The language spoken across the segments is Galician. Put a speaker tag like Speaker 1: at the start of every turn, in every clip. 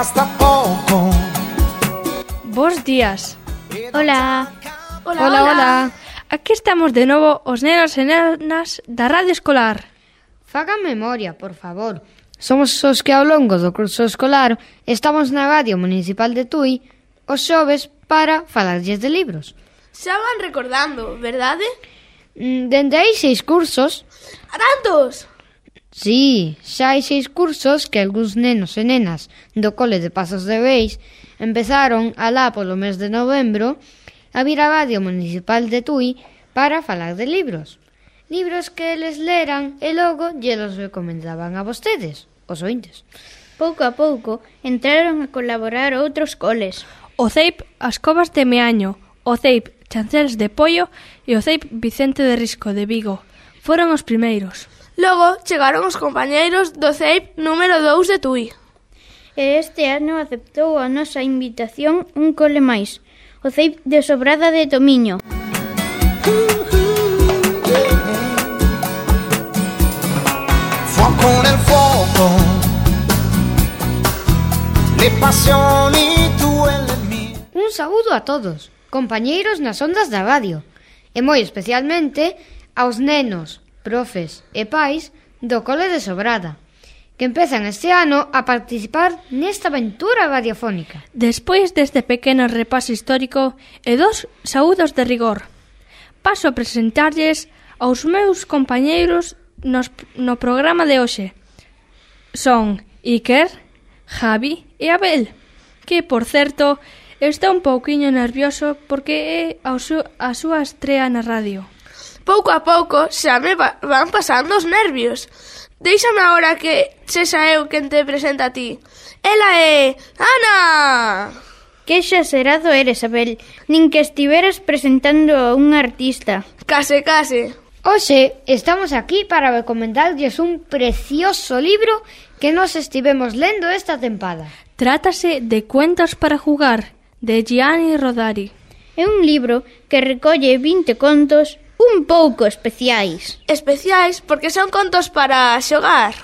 Speaker 1: basta pouco.
Speaker 2: Bos días.
Speaker 3: Hola.
Speaker 2: Hola. Aquí estamos de novo os nenos e nenas da Radio Escolar.
Speaker 4: Fagan memoria, por favor. Somos os que ao longo do curso escolar estamos na Radio Municipal de Tui os xoves para falarlles de libros.
Speaker 3: Xa van recordando, verdade?
Speaker 4: Dende hai 6 cursos.
Speaker 3: A tantos?
Speaker 4: Sí, xa hai 6 cursos que algúns nenos e nenas do cole de Pasos de Beis empezaron alá polo mes de novembro a vir á Radio Municipal de Tui para falar de libros. Libros que eles leran e logo lles recomendaban a vostedes, os ointes.
Speaker 5: Pouco a pouco entraron a colaborar outros coles.
Speaker 2: O CEIP As Covas de Meaño, o CEIP Chanceles de Pollo e o CEIP Vicente de Risco de Vigo. Foron os primeiros.
Speaker 3: Logo chegaron os compañeiros do CEIP número 2 de Tui.
Speaker 5: E este ano aceptou a nosa invitación un cole máis, o CEIP de Sobrada de Tomiño.
Speaker 1: Fuoco nel fuoco, le passioni tue e le mie.
Speaker 4: Un saúdo a todos, compañeiros nas ondas da radio, e moi especialmente aos nenos, profes e pais do cole de Sobrada, que empezan este ano a participar nesta aventura radiofónica.
Speaker 2: Despois deste pequeno repaso histórico e dos saúdos de rigor, paso a presentarlles aos meus compañeiros no programa de hoxe. Son Iker, Javi e Abel, que, por certo, está un pouquiño nervioso porque é a súa estrea na radio.
Speaker 3: Pouco a pouco xa me van pasando os nervios. Déixame agora que sexa eu quen te presenta a ti. Ela é Ana!
Speaker 5: Que exagerado eres, Abel. Nin que estiveras presentando a un artista.
Speaker 3: Case.
Speaker 4: Hoxe estamos aquí para recomendarlles un precioso libro que nos estivemos lendo esta tempada.
Speaker 2: Trátase de Cuentos para jugar, de Gianni Rodari.
Speaker 5: É un libro que recolle 20 contos un pouco especiais.
Speaker 3: Especiais porque son contos para xogar.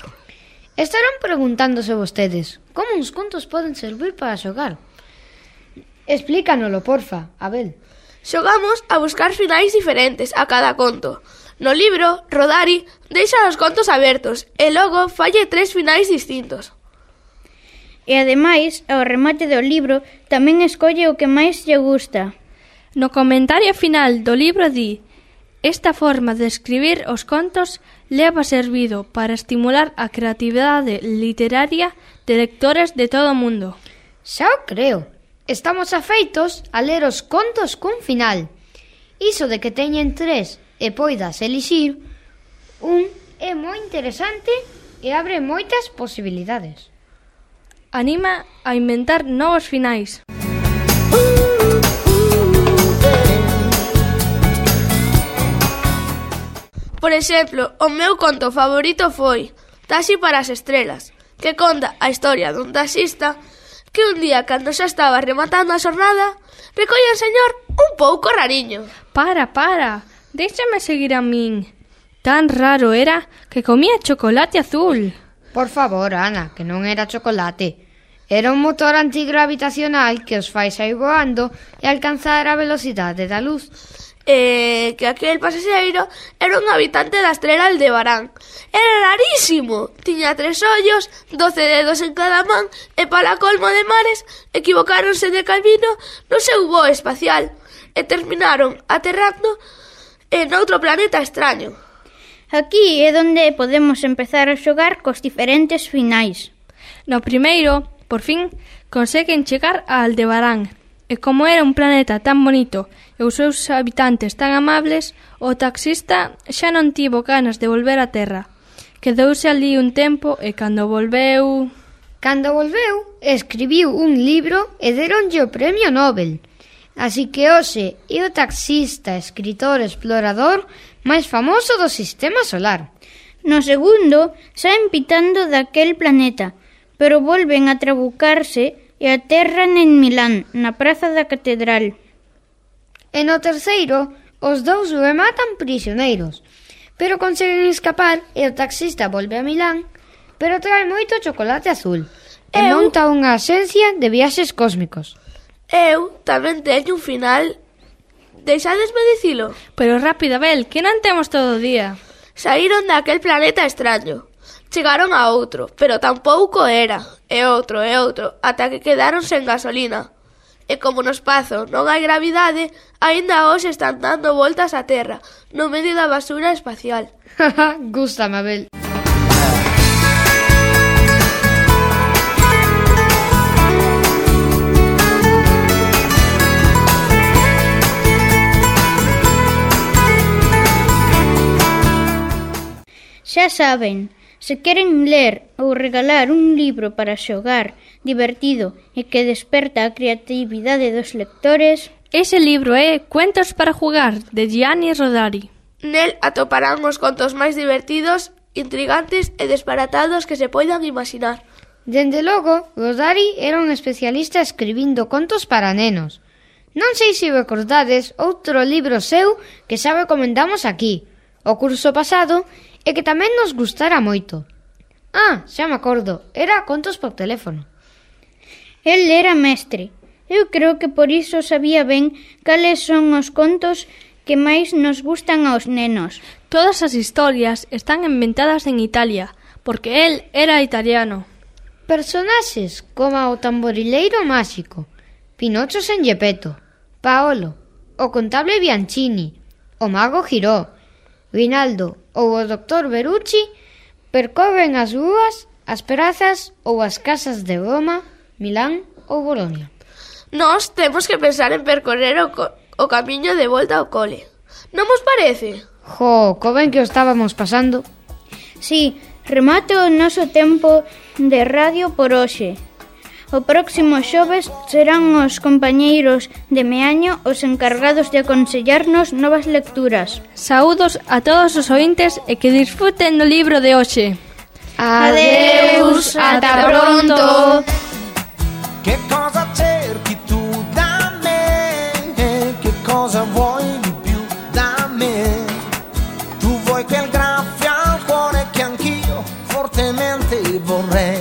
Speaker 4: Estarán preguntándose vostedes, como uns contos poden servir para xogar? Explícanolo, porfa, Abel.
Speaker 3: Xogamos a buscar finais diferentes a cada conto. No libro, Rodari deixa os contos abertos e logo falle 3 finais distintos.
Speaker 5: E ademais, ao remate do libro, tamén escolle o que máis lle gusta.
Speaker 2: No comentario final do libro di: esta forma de escribir os contos leva servido para estimular a creatividade literaria de lectores de todo o mundo.
Speaker 4: Xa o creo. Estamos afeitos a ler os contos cun final. Iso de que teñen 3 e poidas elixir un é moi interesante e abre moitas posibilidades.
Speaker 2: Anima a inventar novos finais.
Speaker 3: Por exemplo, o meu conto favorito foi Taxi para as estrelas, que conta a historia dun taxista que un día, cando xa estaba rematando a xornada, recolle o señor un pouco rariño.
Speaker 2: Para, déxame seguir a min. Tan raro era que comía chocolate azul.
Speaker 4: Por favor, Ana, que non era chocolate. Era un motor antigravitacional que os fai sair voando e alcanzar a velocidade da luz.
Speaker 3: Que aquel pasaxeiro era un habitante da estrela Aldebarán. Era rarísimo. Tiña 3 ollos, 12 dedos en cada man e para colmo de mares equivocáronse de camino no seu voo espacial e terminaron aterrando en outro planeta extraño.
Speaker 5: Aquí é onde podemos empezar a xogar cos diferentes finais.
Speaker 2: No primeiro, por fin, conseguen chegar a Aldebarán. E como era un planeta tan bonito e os seus habitantes tan amables, o taxista xa non tivo ganas de volver á Terra. Quedouse ali un tempo e cando volveu,
Speaker 4: escribiu un libro e deronlle o premio Nobel. Así que hoxe é o taxista, escritor, explorador máis famoso do sistema solar.
Speaker 5: No segundo, saen pitando daquel planeta, pero volven a trabucarse e aterran en Milán, na praza da catedral.
Speaker 4: E no terceiro, os dous rematan prisioneiros, pero conseguen escapar e o taxista volve a Milán, pero trae moito chocolate azul. e monta unha axencia de viaxes cósmicos.
Speaker 3: Eu tamén teño un final. Deixadesme dicilo.
Speaker 2: Pero rápido, Abel, que non temos todo o día.
Speaker 3: Saíron daquel planeta extraño. Chegaron a outro, pero tampouco era. E outro, ata que quedaron sen gasolina. E como no espazo non hai gravidade, aínda hoxe están dando voltas á Terra, no medio da basura espacial.
Speaker 4: Gústame, Abel.
Speaker 5: Xa saben, se queren ler ou regalar un libro para xogar, divertido e que desperta a creatividade dos lectores,
Speaker 2: Ese libro é Cuentos para jugar, de Gianni Rodari.
Speaker 3: Nel atoparán os contos máis divertidos, intrigantes e disparatados que se poidan imaginar.
Speaker 4: Dende logo, Rodari era un especialista escribindo contos para nenos. Non sei se recordades outro libro seu que xa recomendamos aquí, o curso pasado, e que tamén nos gustara moito. Xa me acordo, era Contos por teléfono.
Speaker 5: el era mestre. Eu creo que por iso sabía ben cales son os contos que máis nos gustan aos nenos.
Speaker 2: Todas as historias están inventadas en Italia, porque él era italiano.
Speaker 4: Personaxes como o tamborileiro máxico, Pinocho sen Gepetto, Paolo, o contable Bianchini, o mago Giró, Rinaldo ou o doctor Berucci percorren as rúas, as prazas ou as casas de Roma, Milán ou Bolonia.
Speaker 3: Nós temos que pensar en percorrer o camiño de volta ao cole. Non vos parece?
Speaker 4: Co ben que o estábamos pasando.
Speaker 5: Sí, remate o noso tempo de radio por hoxe. O próximo xoves serán os compañeiros de Meaño os encargados de aconsellarnos novas lecturas.
Speaker 2: Saúdos a todos os ointes e que disfruten do libro de hoxe.
Speaker 5: Adeus, ata pronto.
Speaker 1: Che cosa cerchi tu da me? Che cosa vuoi di più da me? Tu vuoi quel graffio al cuore che anch'io fortemente vorrei.